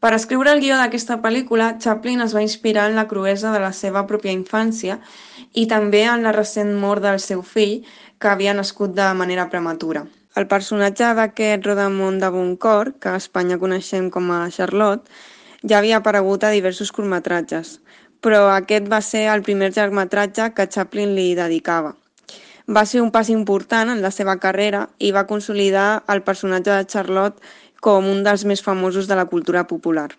Per escriure el guió d'aquesta pel·lícula, Chaplin es va inspirar en la cruesa de la seva pròpia infància i també en la recent mort del seu fill, que havia nascut de manera prematura. El personatge d'aquest Rodamont de Boncourt, que a Espanya coneixem com a Charlotte, ja havia aparegut a diversos curtmetratges, però aquest va ser el primer llargmetratge que Chaplin li dedicava. Va ser un pas important en la seva carrera i va consolidar el personatge de Charlotte com un dels més famosos de la cultura popular.